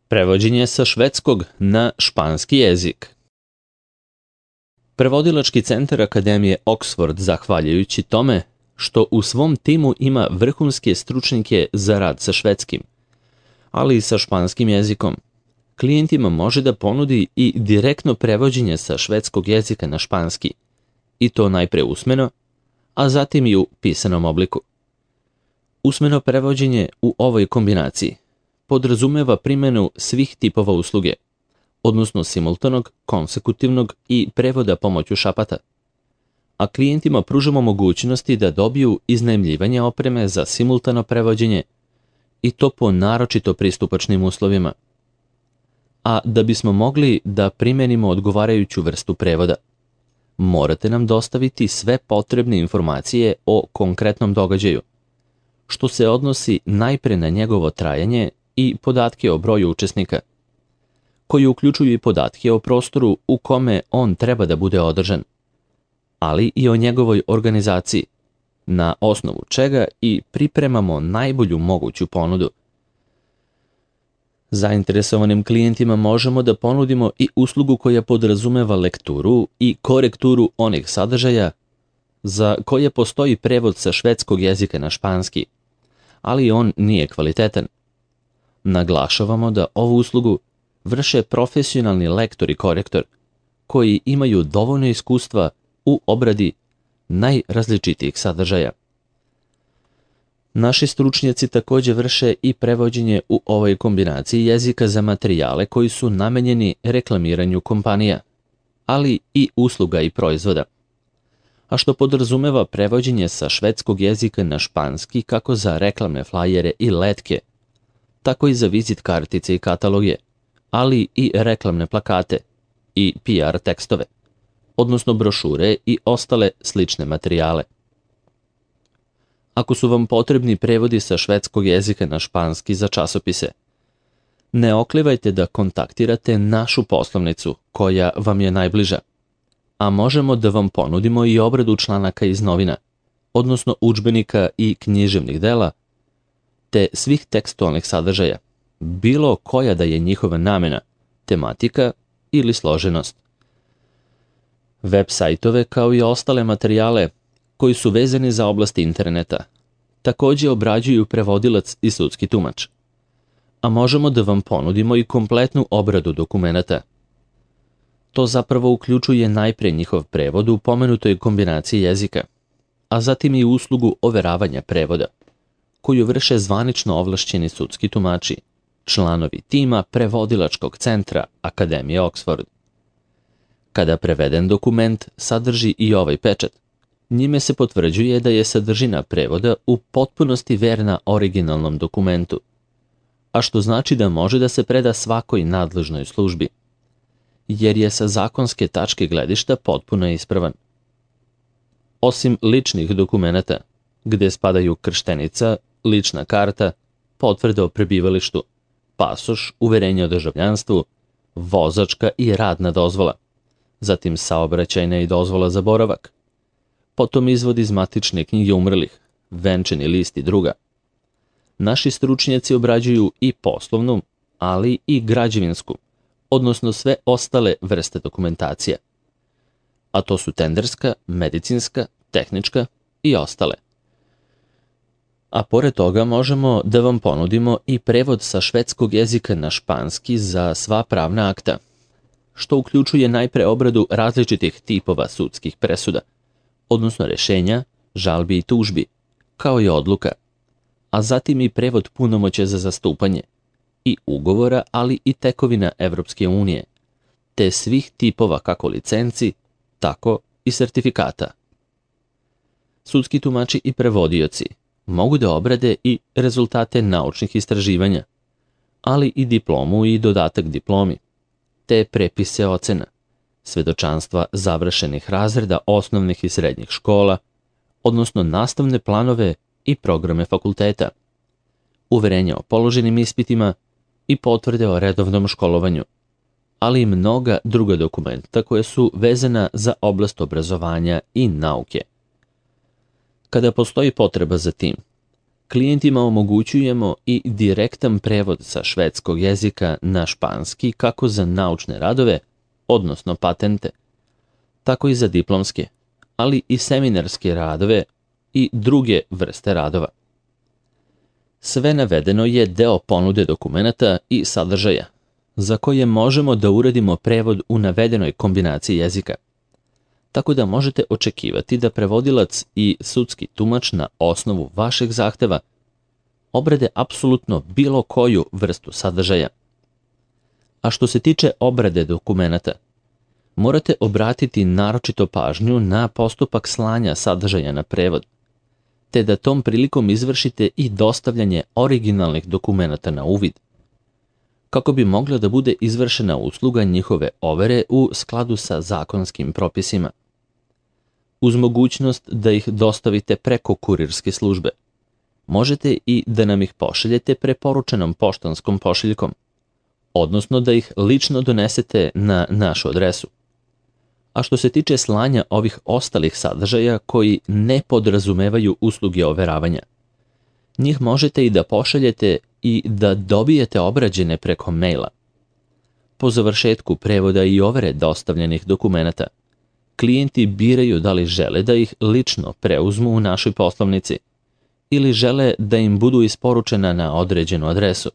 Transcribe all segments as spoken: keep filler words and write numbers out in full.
Prevođenje sa švedskog na španski jezik. Prevodilački centar Akademije Oxford, zahvaljujući tome što u svom timu ima vrhunske stručnjake za rad sa švedskim, ali i sa španskim jezikom, klijentima može da ponudi i direktno prevođenje sa švedskog jezika na španski, i to najpre usmeno, a zatim i u pisanom obliku. Usmeno prevođenje u ovoj kombinaciji podrazumeva primjenu svih tipova usluge, odnosno simultanog, konsekutivnog i prevoda pomoću šapata, a klijentima pružamo mogućnosti da dobiju iznajmljivanje opreme za simultano prevođenje i to po naročito pristupačnim uslovima. A da bismo mogli da primenimo odgovarajuću vrstu prevoda, morate nam dostaviti sve potrebne informacije o konkretnom događaju, što se odnosi najpre na njegovo trajanje i podatke o broju učesnika, koji uključuju i podatke o prostoru u kome on treba da bude održan, ali i o njegovoj organizaciji, na osnovu čega i pripremamo najbolju moguću ponudu. Zainteresovanim klijentima možemo da ponudimo i uslugu koja podrazumeva lekturu i korekturu onih sadržaja za koje postoji prevod sa švedskog jezika na španski, ali on nije kvalitetan. Naglašavamo da ovu uslugu vrše profesionalni lektor i korektor koji imaju dovoljno iskustva u obradi najrazličitijih sadržaja. Naši stručnjaci također vrše i prevođenje u ovoj kombinaciji jezika za materijale koji su namenjeni reklamiranju kompanija, ali i usluga i proizvoda, a što podrazumeva prevođenje sa švedskog jezika na španski kako za reklamne flajere i letke, tako i za vizit kartice i kataloge, ali i reklamne plakate i P R tekstove, odnosno brošure i ostale slične materijale. Ako su vam potrebni prevodi sa švedskog jezika na španski za časopise, ne oklivajte da kontaktirate našu poslovnicu koja vam je najbliža, a možemo da vam ponudimo i obradu članaka iz novina, odnosno udžbenika i književnih dela, te svih tekstualnih sadržaja, bilo koja da je njihova namena, tematika ili složenost. Web sajtove kao i ostale materijale koji su vezani za oblasti interneta također obrađuju prevodilac i sudski tumač, a možemo da vam ponudimo i kompletnu obradu dokumenata. To zapravo uključuje najpre njihov prevod u pomenutoj kombinaciji jezika, a zatim i uslugu overavanja prevoda, koju vrše zvanično ovlašćeni sudski tumači, članovi tima prevodilačkog centra Akademije Oxford. Kada preveden dokument sadrži i ovaj pečat, njime se potvrđuje da je sadržina prevoda u potpunosti verna originalnom dokumentu, a što znači da može da se preda svakoj nadležnoj službi, jer je sa zakonske tačke gledišta potpuno ispravan. Osim ličnih dokumenata, gde spadaju krštenica, lična karta, potvrda o prebivalištu, pasoš, uverenje o državljanstvu, vozačka i radna dozvola, zatim saobraćajna i dozvola za boravak, potom izvod iz matične knjige umrlih, venčani list i druga. Naši stručnjaci obrađuju i poslovnu, ali i građevinsku, odnosno sve ostale vrste dokumentacije, a to su tenderska, medicinska, tehnička i ostale. A pored toga možemo da vam ponudimo i prevod sa švedskog jezika na španski za sva pravna akta, što uključuje najpre obradu različitih tipova sudskih presuda, odnosno rešenja, žalbi i tužbi, kao i odluka, a zatim i prevod punomoćja za zastupanje i ugovora, ali i tekovina Evropske unije, te svih tipova kako licenci, tako i sertifikata. Sudski tumači i prevodioci mogu da obrade i rezultate naučnih istraživanja, ali i diplomu i dodatak diplomi, te prepise ocena, svedočanstva završenih razreda osnovnih i srednjih škola, odnosno nastavne planove i programe fakulteta, uverenja o položenim ispitima i potvrde o redovnom školovanju, ali i mnoga druga dokumenta koje su vezana za oblast obrazovanja i nauke. Kada postoji potreba za tim, Klijentima omogućujemo i direktan prevod sa švedskog jezika na španski kako za naučne radove, odnosno patente, tako i za diplomske, ali i seminarske radove i druge vrste radova. Sve navedeno je deo ponude dokumenata i sadržaja, za koje možemo da uradimo prevod u navedenoj kombinaciji jezika. Tako da možete očekivati da prevodilac i sudski tumač na osnovu vašeg zahteva obrade apsolutno bilo koju vrstu sadržaja. A što se tiče obrade dokumenata, morate obratiti naročito pažnju na postupak slanja sadržaja na prevod, te da tom prilikom izvršite i dostavljanje originalnih dokumenata na uvid, kako bi mogla da bude izvršena usluga njihove overe u skladu sa zakonskim propisima. Uz mogućnost da ih dostavite preko kurirske službe, možete i da nam ih pošaljete preporučenom poštanskom pošiljkom, odnosno da ih lično donesete na našu adresu. A što se tiče slanja ovih ostalih sadržaja koji ne podrazumevaju usluge overavanja, njih možete i da pošaljete i da dobijete obrađene preko maila. Po završetku prevoda i overe dostavljenih dokumenata, klijenti biraju da li žele da ih lično preuzmu u našoj poslovnici ili žele da im budu isporučena na određenu adresu.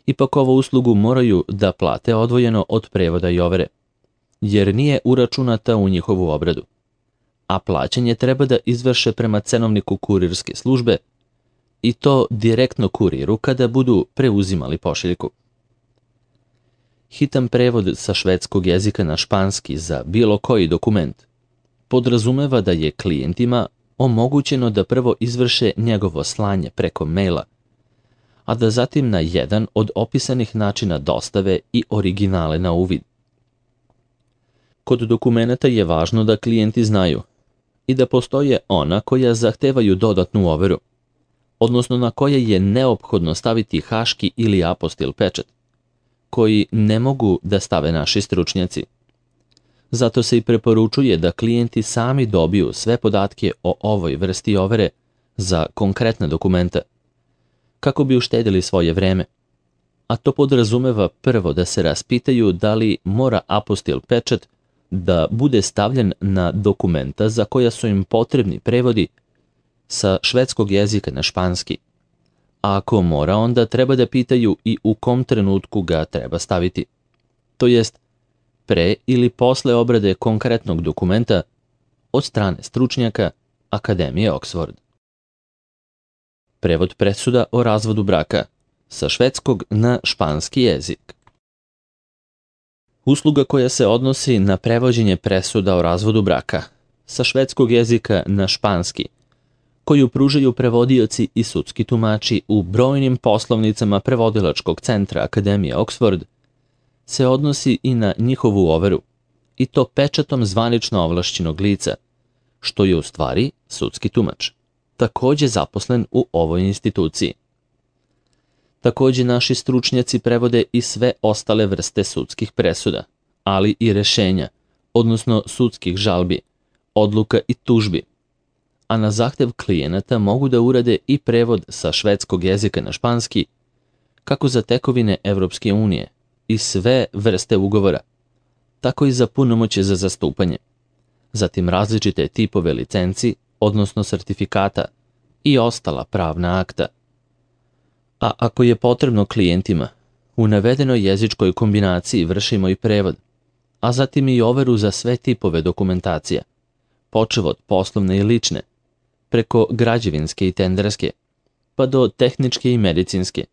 Ipak ovu uslugu moraju da plate odvojeno od prevoda i overe, jer nije uračunata u njihovu obradu, a plaćanje treba da izvrše prema cenovniku kurirske službe i to direktno kuriru kada budu preuzimali pošiljku. Hitan prevod sa švedskog jezika na španski za bilo koji dokument podrazumeva da je klijentima omogućeno da prvo izvrše njegovo slanje preko maila, a da zatim na jedan od opisanih načina dostave i originale na uvid. Kod dokumenata je važno da klijenti znaju i da postoje ona koja zahtevaju dodatnu overu, odnosno na koje je neophodno staviti haški ili apostil pečat, koji ne mogu da stave naši stručnjaci. Zato se i preporučuje da klijenti sami dobiju sve podatke o ovoj vrsti overe za konkretna dokumenta, kako bi uštedili svoje vreme. A to podrazumeva prvo da se raspitaju da li mora apostil pečat da bude stavljen na dokumenta za koja su im potrebni prevodi sa švedskog jezika na španski. A ako mora, onda treba da pitaju i u kom trenutku ga treba staviti. To jest, pre ili posle obrade konkretnog dokumenta od strane stručnjaka Akademije Oxford. Prevod presuda o razvodu braka sa švedskog na španski jezik. Usluga koja se odnosi na prevođenje presuda o razvodu braka sa švedskog jezika na španski, koju pružaju prevodioci i sudski tumači u brojnim poslovnicama prevodilačkog centra Akademije Oxford, se odnosi i na njihovu overu, i to pečatom zvanično ovlašćenog lica, što je u stvari sudski tumač, takođe zaposlen u ovoj instituciji. Takođe naši stručnjaci prevode i sve ostale vrste sudskih presuda, ali i rešenja, odnosno sudskih žalbi, odluka i tužbi, a na zahtev klijenata mogu da urade i prevod sa švedskog jezika na španski, kako za tekovine Evropske unije i sve vrste ugovora, tako i za punomoćje za zastupanje, zatim različite tipove licenci, odnosno sertifikata i ostala pravna akta. A ako je potrebno klijentima, u navedenoj jezičkoj kombinaciji vršimo i prevod, a zatim i overu za sve tipove dokumentacija, počev od poslovne i lične, preko građevinske i tenderske, pa do tehničke i medicinske.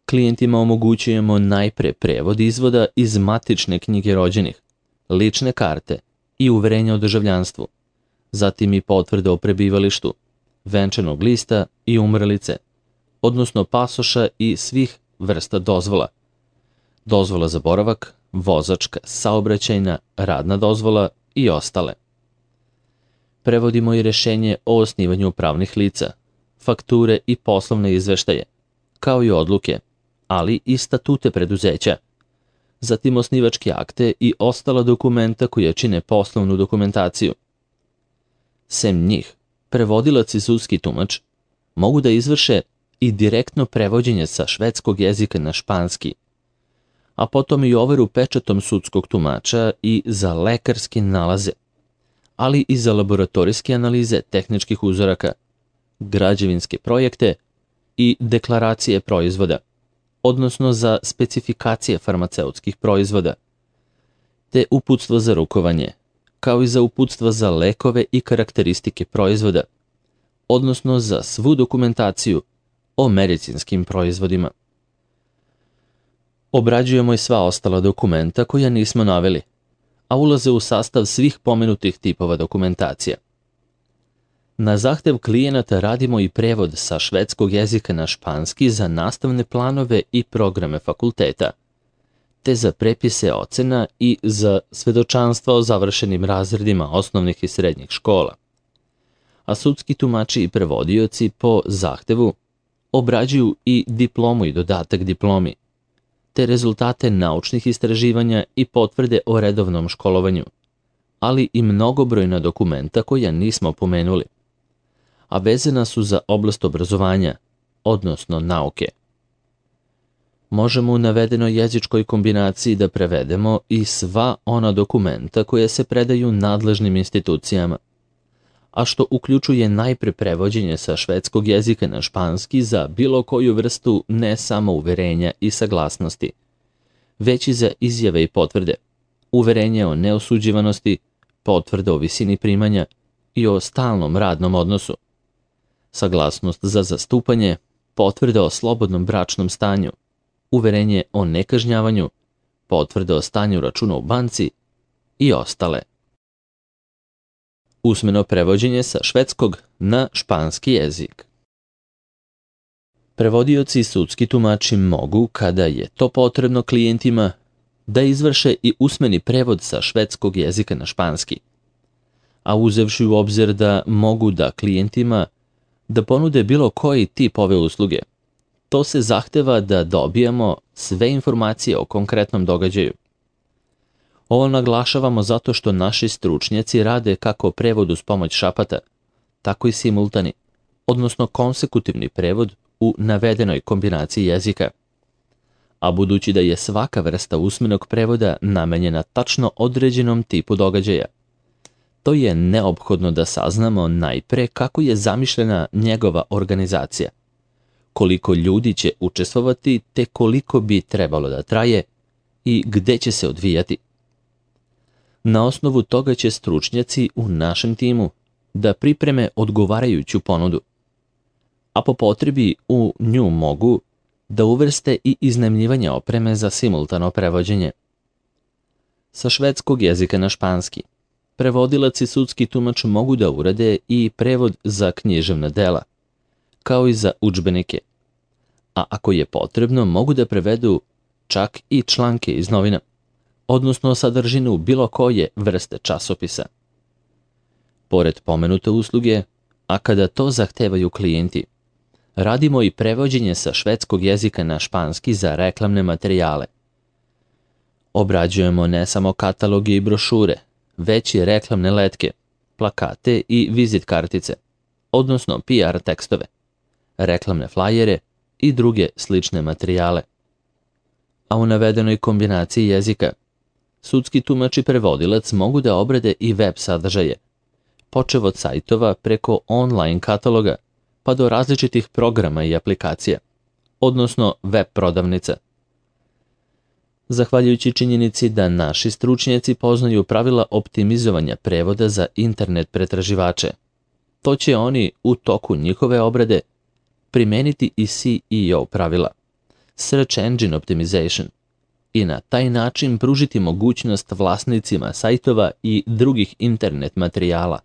Klijentima omogućujemo najpre prevod izvoda iz matične knjige rođenih, lične karte i uverenja o državljanstvu, zatim i potvrde o prebivalištu, venčanog lista i umrlice, odnosno pasoša i svih vrsta dozvola, dozvola za boravak, vozačka, saobraćajna, radna dozvola i ostale. Prevodimo i rešenje o osnivanju pravnih lica, fakture i poslovne izveštaje, kao i odluke, ali i statute preduzeća, zatim osnivačke akte i ostala dokumenta koja čine poslovnu dokumentaciju. Sem njih, prevodilac i sudski tumač mogu da izvrše i direktno prevođenje sa švedskog jezika na španski, a potom i overu pečatom sudskog tumača i za lekarske nalaze, ali i za laboratorijske analize tehničkih uzoraka, građevinske projekte i deklaracije proizvoda, odnosno za specifikacije farmaceutskih proizvoda, te uputstvo za rukovanje, kao i za uputstva za lekove i karakteristike proizvoda, odnosno za svu dokumentaciju o medicinskim proizvodima. Obrađujemo i sva ostala dokumenta koja nismo naveli, a ulaze u sastav svih pomenutih tipova dokumentacija. Na zahtev klijenata radimo i prevod sa švedskog jezika na španski za nastavne planove i programe fakulteta, te za prepise ocena i za svedočanstva o završenim razredima osnovnih i srednjih škola. A sudski tumači i prevodioci po zahtevu obrađuju i diplomu i dodatak diplomi, te rezultate naučnih istraživanja i potvrde o redovnom školovanju, ali i mnogobrojna dokumenta koja nismo pomenuli, a vezana su za oblast obrazovanja, odnosno nauke. Možemo u navedenoj jezičkoj kombinaciji da prevedemo i sva ona dokumenta koja se predaju nadležnim institucijama, a što uključuje najpre prevođenje sa švedskog jezika na španski za bilo koju vrstu ne samo uverenja i saglasnosti, već i za izjave i potvrde, uverenje o neosuđivanosti, potvrde o visini primanja i o stalnom radnom odnosu, saglasnost za zastupanje, potvrde o slobodnom bračnom stanju, uverenje o nekažnjavanju, potvrde o stanju računa u banci i ostale. Usmeno prevođenje sa švedskog na španski jezik. Prevodioci i sudski tumači mogu, kada je to potrebno klijentima, da izvrše i usmeni prevod sa švedskog jezika na španski, a uzevši u obzir da mogu da klijentima da ponude bilo koji tip ove usluge, to se zahteva da dobijemo sve informacije o konkretnom događaju. Ovo naglašavamo zato što naši stručnjaci rade kako prevod uz pomoć šapata, tako i simultani, odnosno konsekutivni prevod u navedenoj kombinaciji jezika. A budući da je svaka vrsta usmenog prevoda namenjena tačno određenom tipu događaja, to je neophodno da saznamo najpre kako je zamišljena njegova organizacija, koliko ljudi će učestvovati te koliko bi trebalo da traje i gde će se odvijati. Na osnovu toga će stručnjaci u našem timu da pripreme odgovarajuću ponudu, a po potrebi u nju mogu da uvrste i iznajmljivanje opreme za simultano prevođenje. Sa švedskog jezika na španski, prevodilac i sudski tumač mogu da urade i prevod za književna dela, kao i za udžbenike, a ako je potrebno mogu da prevedu čak i članke iz novina, odnosno sadržinu bilo koje vrste časopisa. Pored pomenute usluge, a kada to zahtevaju klijenti, radimo i prevođenje sa švedskog jezika na španski za reklamne materijale. Obrađujemo ne samo kataloge i brošure, već i reklamne letke, plakate i vizit kartice, odnosno P R tekstove, reklamne flajere i druge slične materijale. A u navedenoj kombinaciji jezika, sudski tumač i prevodilac mogu da obrade i web sadržaje, počev od sajtova preko online kataloga pa do različitih programa i aplikacija, odnosno web prodavnica. Zahvaljujući činjenici da naši stručnjaci poznaju pravila optimizovanja prevoda za internet pretraživače, to će oni u toku njihove obrade primeniti i S E O pravila, Search Engine Optimization, i na taj način pružiti mogućnost vlasnicima sajtova i drugih internet materijala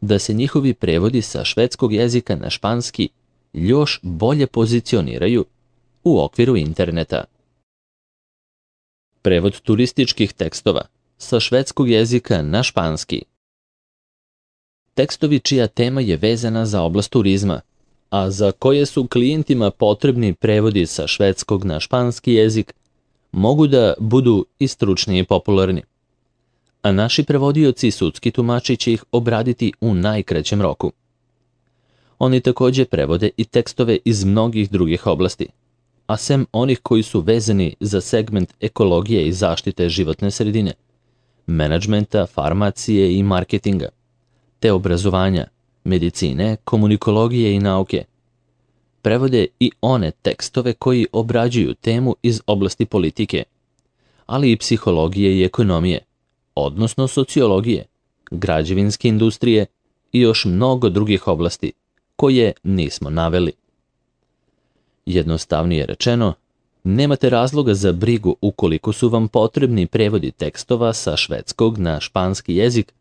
da se njihovi prevodi sa švedskog jezika na španski još bolje pozicioniraju u okviru interneta. Prevod turističkih tekstova sa švedskog jezika na španski. Tekstovi čija tema je vezana za oblast turizma, a za koje su klijentima potrebni prevodi sa švedskog na španski jezik, mogu da budu i stručni i popularni. a naši prevodioci i sudski tumači će ih obraditi u najkraćem roku. Oni također prevode i tekstove iz mnogih drugih oblasti, a sem onih koji su vezani za segment ekologije i zaštite životne sredine, menadžmenta, farmacije i marketinga, te obrazovanja, medicine, komunikologije i nauke. Prevode i one tekstove koji obrađuju temu iz oblasti politike, ali i psihologije i ekonomije, odnosno sociologije, građevinske industrije i još mnogo drugih oblasti koje nismo naveli. Jednostavnije rečeno, nemate razloga za brigu ukoliko su vam potrebni prevodi tekstova sa švedskog na španski jezik,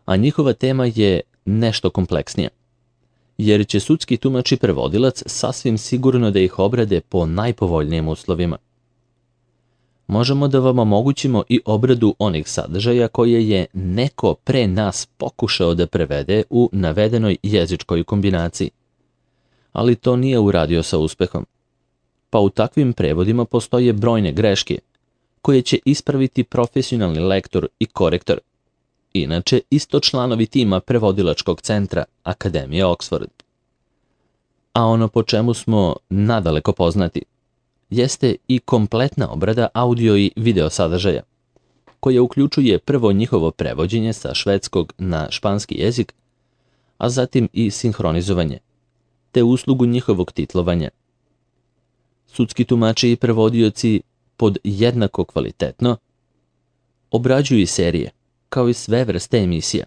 a njihova tema je nešto kompleksnija, jer će sudski tumač i prevodilac sasvim sigurno da ih obrade po najpovoljnijim uslovima. Možemo da vam omogućimo i obradu onih sadržaja koje je neko pre nas pokušao da prevede u navedenoj jezičkoj kombinaciji, ali to nije uradio sa uspehom. Pa u takvim prevodima postoje brojne greške koje će ispraviti profesionalni lektor i korektor, inače isto članovi tima prevodilačkog centra Akademije Oxford. A ono po čemu smo nadaleko poznati jeste i kompletna obrada audio i video sadržaja, koja uključuje prvo njihovo prevođenje sa švedskog na španski jezik, a zatim i sinhronizovanje, te uslugu njihovog titlovanja. Sudski tumači i prevodioci pod jednako kvalitetno obrađuju i serije, kao i sve vrste emisija,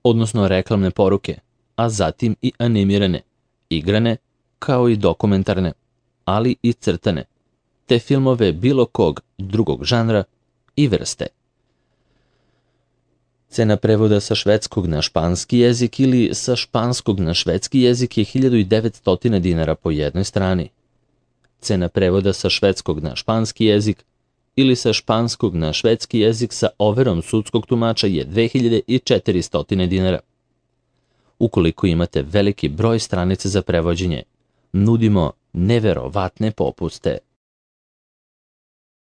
odnosno reklamne poruke, a zatim i animirane, igrane, kao i dokumentarne, ali i crtane, te filmove bilo kog drugog žanra i vrste. Cena prevoda sa švedskog na španski jezik ili sa španskog na švedski jezik je hiljadu devetsto dinara po jednoj strani. Cena prevoda sa švedskog na španski jezik ili sa španskog na švedski jezik sa overom sudskog tumača je dve hiljade četiristo dinara. Ukoliko imate veliki broj stranica za prevođenje, nudimo neverovatne popuste.